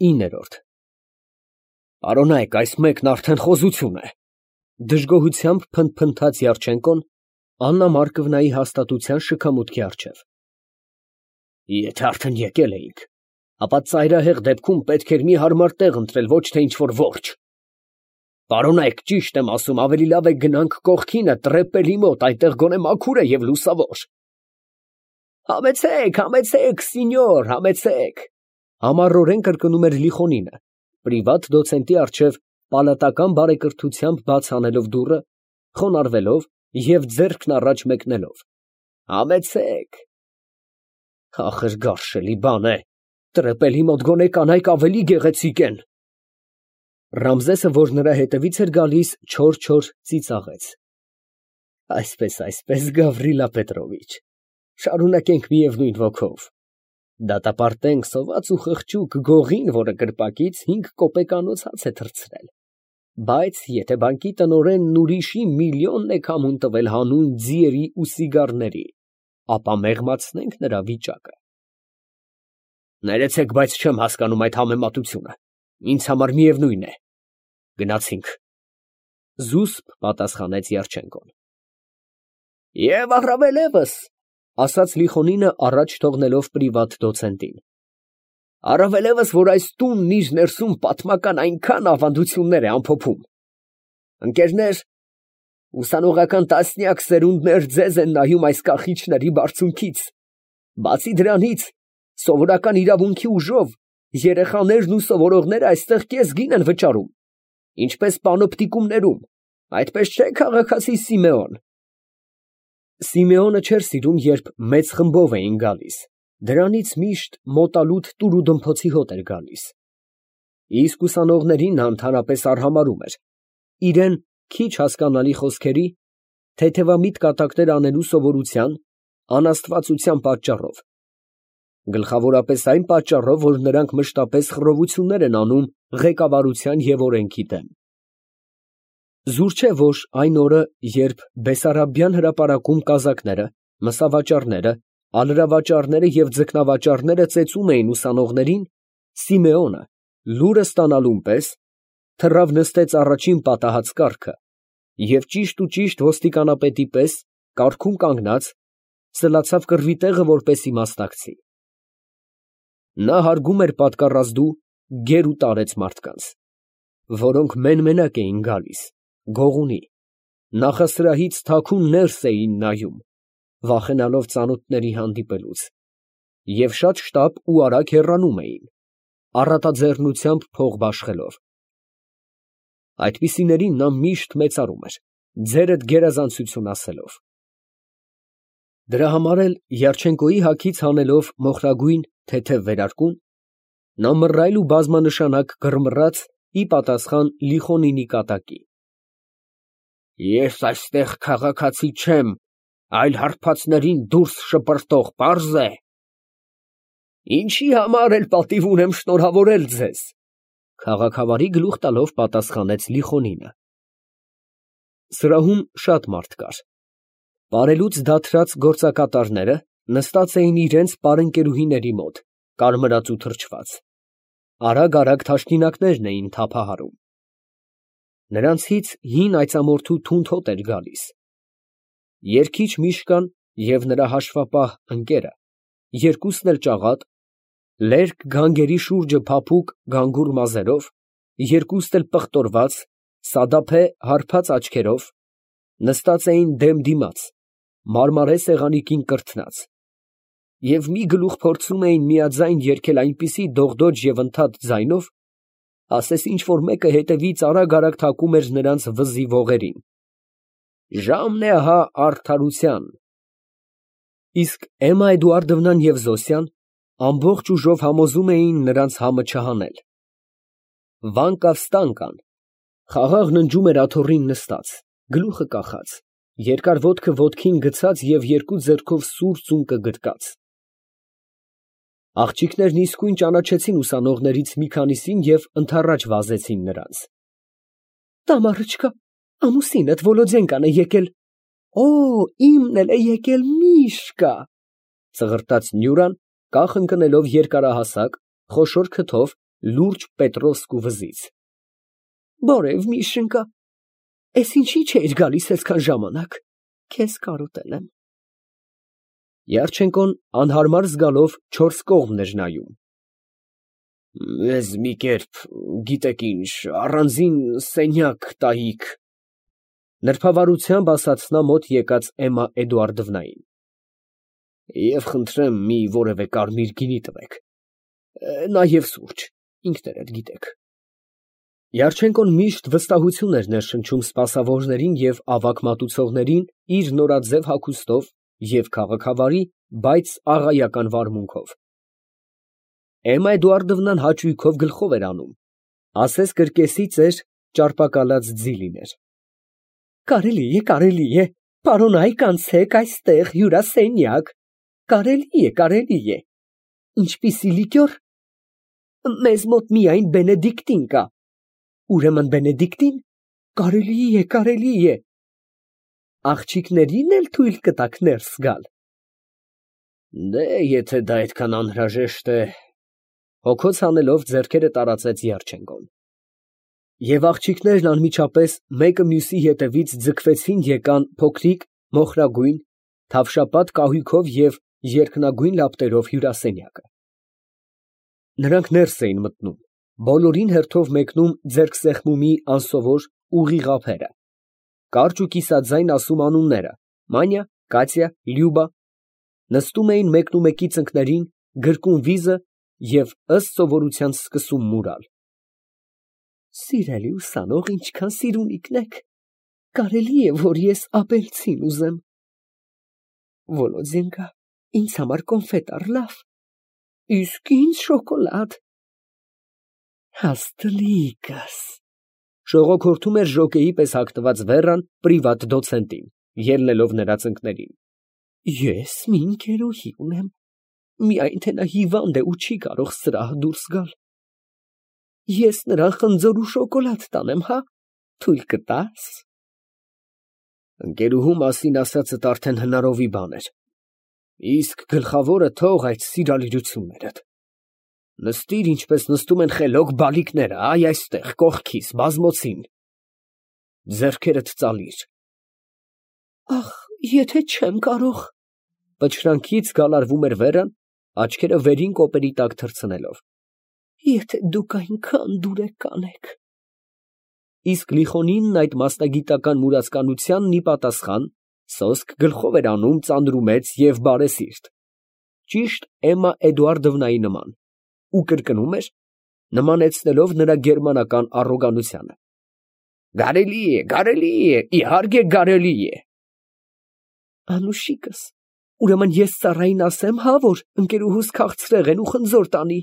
9-րդ Պարոնայք, այս մեկն արդեն խոզություն է, դժգոհությամբ փնթփնթաց Յարչենկոն Աննա Մարկովնայի հաստատության շքամուտքի առջև։ Եթե արդեն եկել էինք, ապա ծայրահեղ դեպքում պետք էր մի հարմար տեղ ընտրել, ոչ թե ինչ-որ որջ։ Պարոնայք, ճիշտ եմ ասում, ավելի լավ է գնանք կողքինը տրեպելի մոտ, այնտեղ գոնե մաքուր է և լուսավոր։ Համեցեք, սինյոր, համեցեք, համառորեն կրկնում էր Լիխոնինը, պրիվատ դոցենտի առջև պալատական բարեկրթությամբ բաց անելով դուռը, խոնարհվելով և ձեռքն առաջ մեկնելով։ Համեցեք։ Ախր գարշելի բան է, տրեպելի մոտ գոնե կանայք ավելի գեղեցիկ են։ Ռամզեսը, որ նրա հետևից էր գալիս, չոր ծիծաղեց։ Այսպես, Գավրիլա Պետրովիչ, շարունակենք միևնույն ոգով։ Դատապարտենք սոված ու խղճուկ գողին, որը կրպակից 5 կոպեկանոց հաց է թռցրել, բայց եթե բանկի տնօրենն ուրիշի միլիոնն է քամուն տվել հանուն ձիերի ու սիգարների, ապա մեղմացնենք նրա վիճակը։ Ներեցեք, բայց չեմ հասկանում այդ համեմատությունը, ինձ համար միևնույն է։ Գնացինք, զուսպ պատասխանեց Յարչենկոն։ Եվ առավելևս, ասաց Լիխոնինը առաջ թողնելով պրիվատ դոցենտին, առավելևս, որ այս տունն իր ներսում պատմական այնքան ավանդություններ է ամփոփում։ Ընկերներ, ուսանողական տասնյակ սերունդներ ձեզ են նայում այս կախիչների բարձունքից։ Բացի դրանից, սովորական իրավունքի ուժով երեխաներն ու սովորողները այստեղ կեսգին են վճարում, ինչպես պանոպտիկումներում, այդպես չէ, քաղաքացի Սիմեոն։ Սիմեոնը չէր սիրում, երբ մեծ խմբով էին գալիս, դրանից միշտ մոտալուտ տուրուդմփոցի հոտ էր գալիս։ Իսկ ուսանողներին նա ընդհանրապես արհամարհում էր, իրեն քիչ հասկանալի խոսքերի, թեթևամիտ կատակներ անելու սովորության, անաստվածության պատճառով, գլխավորապես այն պատճառով, որ նրանք մշտապես խռովություններ են անում ղեկավարության և օրենքի դեմ։ Զուր չէ, որ այն օրը, երբ Բեսարաբյան հրապարակում կազակները, մսավաճառները, ալրավաճառները և ձկնավաճառները ծեծում էին ուսանողներին, Սիմեոնը, լուրը ստանալուն պես, թռավ նստեց առաջին պատահած կառքը և ճիշտ ոստիկանապետի պես, կառքում կանգնած, սլացավ կռվի տեղը, որպեսզի մասնակցի։ Նա հարգում էր պատկառազդու գեր ու տարեց մարդկանց, որոնք մեն֊մենակ էին գալիս, գողունի, նախասրահից թաքուն ներս էին նայում, վախենալով ծանոթների հանդիպելուց, և շատ շտապ ու արագ հեռանում էին, առատաձեռնությամբ փող բաշխելով։ Այդպիսիներին նա միշտ մեծարում էր, ձերդ գերազանցություն ասելով։ Դրա համար էլ Յարչենկոյի հագից հանելով մոխրագույն թեթև վերարկուն, նա մռայլ ու բազմանշանակ գրմռաց ի պատասխան Լիխոնինի կատակի։ Ես այստեղ քաղաքացի չեմ, այլ հարբածներին դուրս շպրտող, պարզ է։ Ինչի համար էլ պատիվ ունեմ շնորհավորել ձեզ, քաղաքավարի գլուխ տալով պատասխանեց Լիխոնինը։ Սրահում շատ մարդ կար։ Պարելուց դադարած գործակատարները նստած էին իրենց պարընկերուհիների մոտ, կարմրած ու թրջված, արագ թաշկինակներն էին թափահարում։ Նրանցից հին այծամորթու թունդ հոտ էր գալիս։ Երգիչ Միշկան և նրա հաշվապահ ընկերը, երկուսն էլ ճաղատ, լերկ գանգերի շուրջը փափուկ գանգուր մազերով, երկուստ էլ պղտորված, սադափե հարբած աչքերով, նստած էին դեմ դիմաց, մարմարե սեղանիկին կրթնած, և մի գլուխ փորձում էին միաձայն երգել այնպիսի դողդոջ և ընդհատ ձայնով, ասես ինչ֊որ մեկը հետևից արագ թակում էր նրանց վզի ողերին. ժամն է ահա արդարության։ Իսկ Էմմա Էդուարդովնան և Զոսյան ամբողջ ուժով համոզում էին նրանց համը չհանել։ Վանկավ֊ստանկան խաղաղ ննջում էր աթոռին նստած, գլուխը կախած, երկար ոտքը ոտքին գցած և երկու ձեռքով սուր ծունկը գրկած։ Աղջիկներն իսկույն ճանաչեցին ուսանողներից մի քանիսին և ընդառաջ վազեցին նրանց։ Տամարը չկա, ամուսինդ Վոլոդենկան է եկել։ Օ, իմն էլ է եկել Միշկա, ծղրտաց Նյուրան, կախ ընկնելով երկարահասակ, խոշոր քթով լուրջ Պետրոսկու վզից։ Բարև, Միշենկա, ես ինչի չէիր գալիս այսքան ժամանակ, քեզ կարոտել եմ։ Յարչենկոն անհարմար զգալով չորս կողմն էր նայում։ Ես մի կերպ, գիտեք ինչ, առանձին սենյակ տայիք, նրբավարությամբ ասաց նա մոտ եկած Էմմա Էդուարդովնային։ Եվ խնդրեմ մի որևէ կարմիր գինի տվեք, նաև սուրճ, ինքներդ գիտեք։ Յարչենկոն միշտ վստահություն էր ներշնչում սպասավորներին և ավագ մատուցողներին իր նորաձև հագուստով և քաղաքավարի, բայց աղայական վարմունքով։ Էմմա Էդուարդովնան հաճույքով գլխով էր անում, ասես կրկեսի ծեր ճարպակալած ձի լիներ։ Կարելի է, պարոնայք անցեք այստեղ հյուրասենյակ, կարելի է, ինչպիսի լիկյոր, մեզ մոտ միայն Բենեդիկտին կա, ուրեմն Բենեդիկտին, կարելի է, աղջիկներին էլ թույլ կտաք ներս գալ։ Դե, եթե դա այդքան անհրաժեշտ է, հոգոց հանելով ձեռքերը տարածեց Յարչենկոն։ Եվ աղջիկներն անմիջապես մեկը մյուսի ետևից ձգվեցին եկան փոքրիկ, մոխրագույն, թավշապատ կահույքով և երկնագույն լապտերով հյուրասենյակը։ Նրանք ներս էին մտնում, բոլորին հերթով մեկնում ձեռքսեղմումի անսովոր ուղիղ ափերը, կարճ ու կիսաձայն ասում անունները՝ Մանյա, Կատյա, Լյուբա, նստում էին մեկնումեկի ծնկներին, գրկում վիզը և ըստ սովորության սկսում մուրալ։ Սիրելի ուսանող, ինչքան սիրունիկն եք, կարելի է, որ ես ապելցին ուզեմ։ Վոլոդինկա, ինձ համար կոնֆետ առլավ, իսկ ինձ շոկոլադ։ Հաստլիկս, շողոքորթում էր ժոկեի պես հագնված Վերան պրիվատ դոցենտին, ելնելով նրա ծնկներին։ Ես մի ընկերուհի ունեմ, միայն թե նա հիվանդ է ու չի կարող սրահ դուրս գալ։ Ես նրան խնձոր ու շոկոլադ տանեմ, հա, թույլ կտա՞ս։ Ընկերուհու մասին ասածդ արդեն հնարովի բան էր, իսկ գլխավորը թող այդ սիրալիրություններդ։ Նստիր, ինչպես նստում են խելոք բալիկները, այ այստեղ, կողքիս, բազմոցին, ձեռքերդ ծալիր։ Ախ, եթե չեմ կարող։ Պչրանքից գալարվում էր Վերան, աչքերը վերին կոպերի տակ թռցնելով։ Եթե դուք այնքան դուրեկան եք։ Իսկ Լիխոնինն այդ մասնագիտական մուրացկանությանն ի պատասխան սոսկ գլխով էր անում ծանրումեծ և բարեսիրտ, ճիշտ Էմմա Էդուարդովնայի նման, ու կրկնում էր, նմանեցնելով նրա գերմանական առոգանությանը. Կարելի է, իհարկե կարելի է։ Անուշիկս, ուրեմն ես ծառային ասեմ, հա, որ ընկերուհուս քաղցրեղ են ու խնձոր տանի։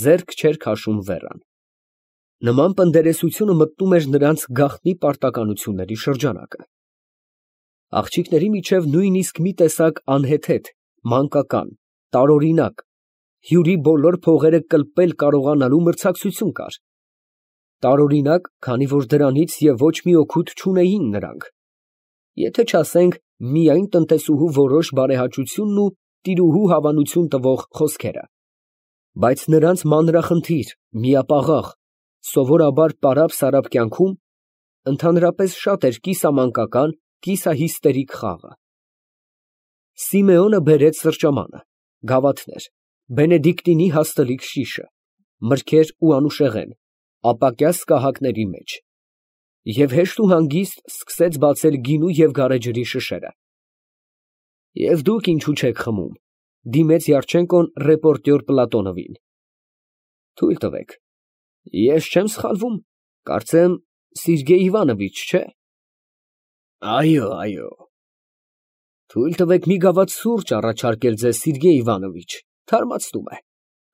Ձեռք չէր քաշում Վերան։ Նման պնդերեսությունը մտնում էր նրանց գաղտնի պարտականությունների շրջանակը։ Աղջիկների միջև նույնիսկ մի տեսակ անհեթեթ, մանկական, տարօրինակ, հյուրի բոլոր փողերը կլպել կարողանալու մրցակցություն կար։ Տարօրինակ, քանի որ դրանից և ոչ մի օգուտ չունեին նրանք, եթե չասենք միայն տնտեսուհու որոշ բարեհաճությունն ու տիրուհու հավանություն տվող խոսքերը, բայց նրանց մանրախնդիր, միապաղաղ, սովորաբար պարապ֊սարապ կյանքում ընդհանրապես շատ էր կիսամանկական, կիսահիստերիկ խաղը։ Սիմեոնը բերեց սրճամանը, գավաթներ, Բենեդիկտինի հաստլիկ շիշը, մրգեր ու անուշեղեն, ապակյա սկահակների մեջ, և հեշտ ու հանգիստ սկսեց բացել գինու և գարեջրի շշերը։ Եվ դուք ինչու չեք խմում, դիմեց Յարչենկոն ռեպորտյոր Պլատոնովին։ Թույլ տվեք, ես չեմ սխալվում, կարծեմ Սերգեյ Իվանովիչ, չէ։ Այո։ Թույլ տվեք մի գավաթ սուրճ առաջարկել ձեզ, Սերգեյ Իվանովիչ, թարմացնում է,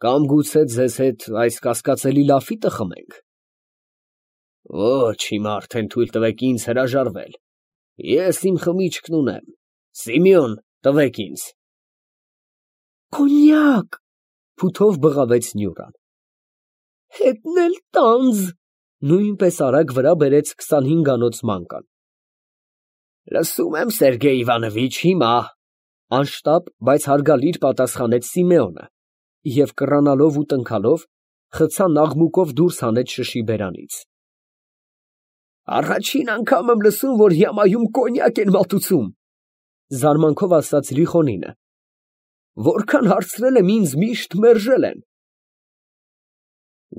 կամ գուցե ձեզ հետ այս կասկածելի լաֆիտը խմենք։ Ոչ, հիմա արդեն թույլ տվեք ինձ հրաժարվել, ես իմ խմիչքն ունեմ, Սիմեոն, տվեք ինձ։ Կոնյակ, փութով բղավեց Նյուրան։ Հետն էլ տանձ, նույնպես արագ վրա բերեց 25-անոց մանկան։ Լսում եմ, Սերգեյ Իվանովիչ, հիմա, անշտապ, բայց հարգալից պատասխանեց Սիմեոնը և կռանալով ու տնքալով խցան աղմուկով դուրս հանեց շշի բերանից։ Առաջին անգամ եմ լսում, որ Յամայում կոնյակ են մատուցում, զարմանքով ասաց Լիխոնինը։ Որքան հարցրել եմ, ինձ միշտ մերժել են։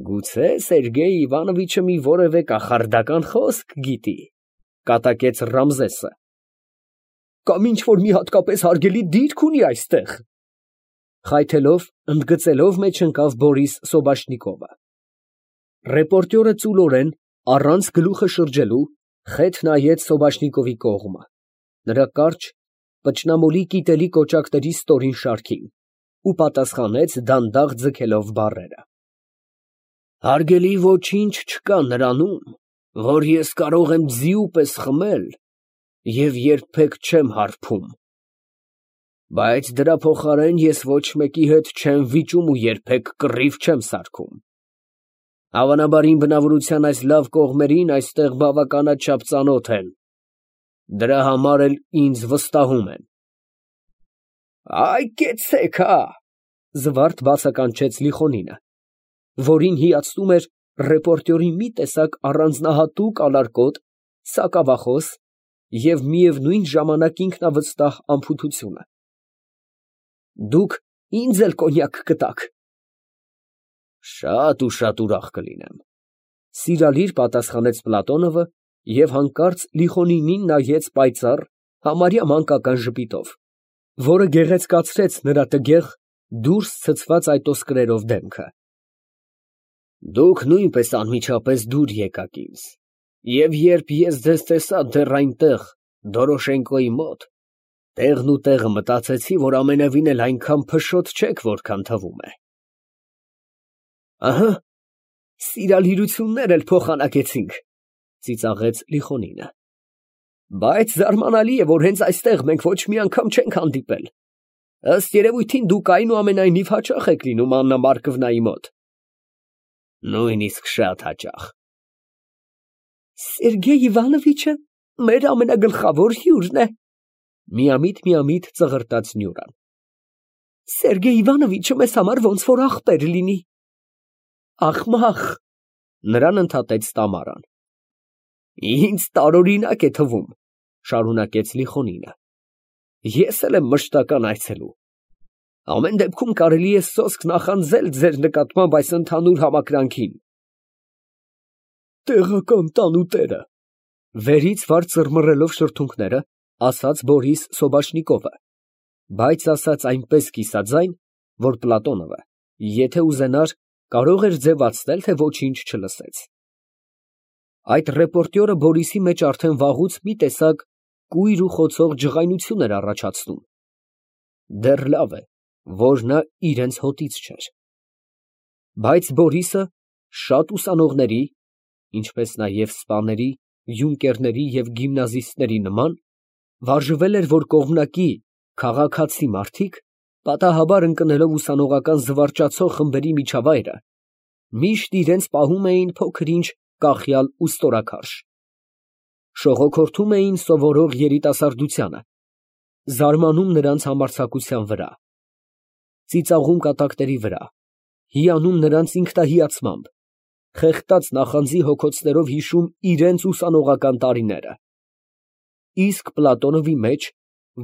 Գուցե Սերգեյ Իվանովիչը մի որևէ կախարդական խոսք գիտի, կատակեց Ռամզեսը։ Կամ ինչ որ մի հատկապես հարգելի դիրք ունի այստեղ։ Խայթելով, ընդգծելով մեջ ընկավ Բորիս Սոբաշնիկովը։ Ռեպորտյորը ծուլորեն, առանց գլուխը շրջելու, խեթ նայեց Սոբաշնիկովի կողմը, նրա կարճ, պճնամոլի կիտելի կոճակների ստորին շարքին, ու պատասխանեց դանդաղ ձգելով բառերը. Հարգելի ոչինչ չկա նրանում, որ ես կարող եմ ձիու պես խմել և երբեք չեմ հարբում, բայց դրա փոխարեն ես ոչ մեկի հետ չեմ վիճում ու երբեք կռիվ չեմ սարքում։ Հավանաբար իմ բնավորության այս լավ կողմերին այստեղ բավականաչափ ծանոթ են, դրա համար էլ ինձ վստահում են։ Այ կեցեք, հա, զվարթ բացականչեց Լիխոնինը, որին հիացնում էր ռեպորտյորի մի տեսակ առանձնահատուկ ալարկոտ, սակավախոս և միևնույն ժամանակ ինքնավստահ անփութությունը։ Դուք ինձ էլ կոնյակ կտաք։ Շատ ու շատ ուրախ կլինեմ, սիրալիր պատասխանեց Պլատոնովը և հանկարծ Լիխոնինին նայեց պայծառ, համարյա մանկական ժպիտով, որը գեղեցկացրեց նրա տգեղ, դուրս ցցված այտոսկրերով դեմքը։ Դուք նույնպես անմիջապես դուր եկաք ինձ, և երբ ես ձեզ տեսա դեռ այնտեղ, Դորոշենկոյի մոտ, տեղն ու տեղը մտածեցի, որ ամենևին էլ այնքան փշոտ չեք, որքան թվում է։ Ահա, սիրալիրություններ էլ փոխանակեցինք, ծիծաղեց Լիխոնինը։ Բայց զարմանալի է, որ հենց այստեղ մենք ոչ մի անգամ չենք հանդիպել։ Ըստ երևույթին դուք այնուամենայնիվ հաճախ եք լինում Աննա Մարկովնայի մոտ։ Նույնիսկ շատ հաճախ։ Սերգեյ Իվանովիչը մեր ամենագլխավոր հյուրն է, միամիտ ծղրտաց Նյուրան։ Սերգեյ Իվանովիչը մեզ համար ոնց որ ախպեր լինի։ Ախմախ, նրան ընդհատեց Տամարան։ Ինձ տարօրինակ է թվում, շարունակեց Լիխոնինը։ Ես էլ եմ մշտական այցելու։ Ամեն դեպքում կարելի է սոսկ նախանձել ձեր նկատմամբ այս ընդհանուր համակրանքին։ Տեղական տանուտերը, վերից վար ծռմռելով շրթունքները, ասաց Բորիս Սոբաշնիկովը, բայց ասաց այնպես կիսաձայն, որ Պլատոնովը, եթե ուզենար, կարող էր ձևացնել, թե ոչինչ չլսեց։ Այդ ռեպորտյորը Բորիսի մեջ արդեն վաղուց մի տեսակ կույր ու խոցող ջղայնություն էր առաջացնում։ Դեռ լավ է, որ նա իրենց հոտից չէր։ Բայց Բորիսը շատ ուսանողների, ինչպես նաև սպաների, յունկերների և գիմնազիստների նման, վարժվել էր, որ կողմնակի, քաղաքացի մարդիկ, պատահաբար ընկնելով ուսանողական զվարճացող խմբերի միջավայրը, միշտ իրենց պահում էին փոքր-ինչ կախյալ ու ստորաքարշ։ Շողոքորթում էին սովորող երիտասարդությանը, զարմանում նրանց համարձակության վրա, ծիծաղում կատակների վրա, հիանում նրանց ինքնահիացմամբ, խեղդած նախանձի հոգոցներով հիշում իրենց ուսանողական տարիները։ Իսկ Պլատոնովի մեջ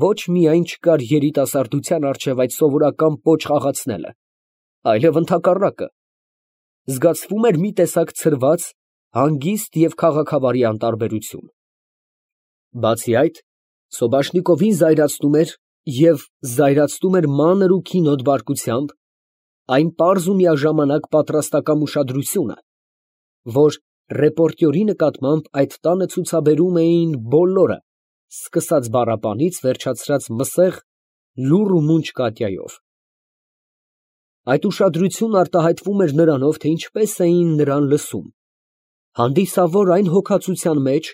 ոչ միայն չկար երիտասարդության առջև այդ սովորական պոչ խաղացնելը, այլև ընդհակառակը, զգացվում էր մի տեսակ ցրված, հանգիստ և քաղաքավարի անտարբերություն։ Բացի այդ, Սոբաշնիկովին զայրացնում էր և զայրացնում էր մանր ու քինոտ բարկությամբ այն պարզ ու միաժամանակ պատրաստակամ ուշադրությունը, որ ռեպորտյորի նկատմամբ այդ տանը ցուցաբերում էին բոլորը, սկսած բառապանից, վերջացրած մսեղ, լուռ ու մունջ Կատյայով։ Այդ ուշադրությունն արտահայտվում էր նրանով, թե ինչպես էին նրան լսում, հանդիսավոր այն հոգածության մեջ,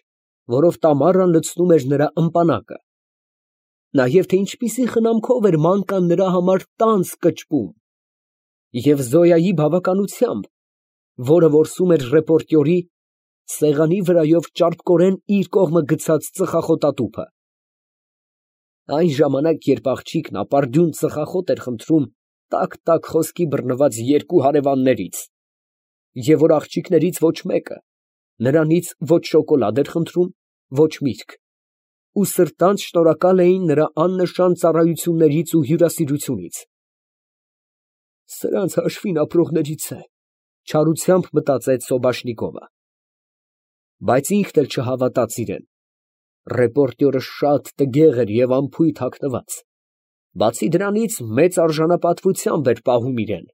որով Տամարան լցնում էր նրա ըմպանակը, նաև թե ինչպիսի խնամքով էր մանկան նրա համար տանձ կճպում, և Զոյայի բավականությամբ, որը որսում էր ռեպորտյորի սեղանի վրայով ճարպկորեն իր կողմը գցած ծխախոտատուփը։ Այն ժամանակ, երբ աղջիկն ապարդյուն ծխախոտ էր խնդրում տաք֊տաք խոսքի բռնված երկու հարևաններից, և որ աղջիկներից ոչ մեկը նրանից ոչ շոկոլադ էր խնդրում, ոչ միրգ, ու սրտանց շնորհակալ էին նրա աննշան ծառայություններից ու հյուրասիրությունից։ «Սրանց հաշվին ապրողներից է», ֊ չարությամբ մտածեց Սոբաշնիկովը, բայց ինքն էլ չհավատաց իրան. ռեպորտյորը շատ տգեղ էր և անփույթ հագնված, բացի դրանից մեծ արժանապատվությամբ էր պահում իրան։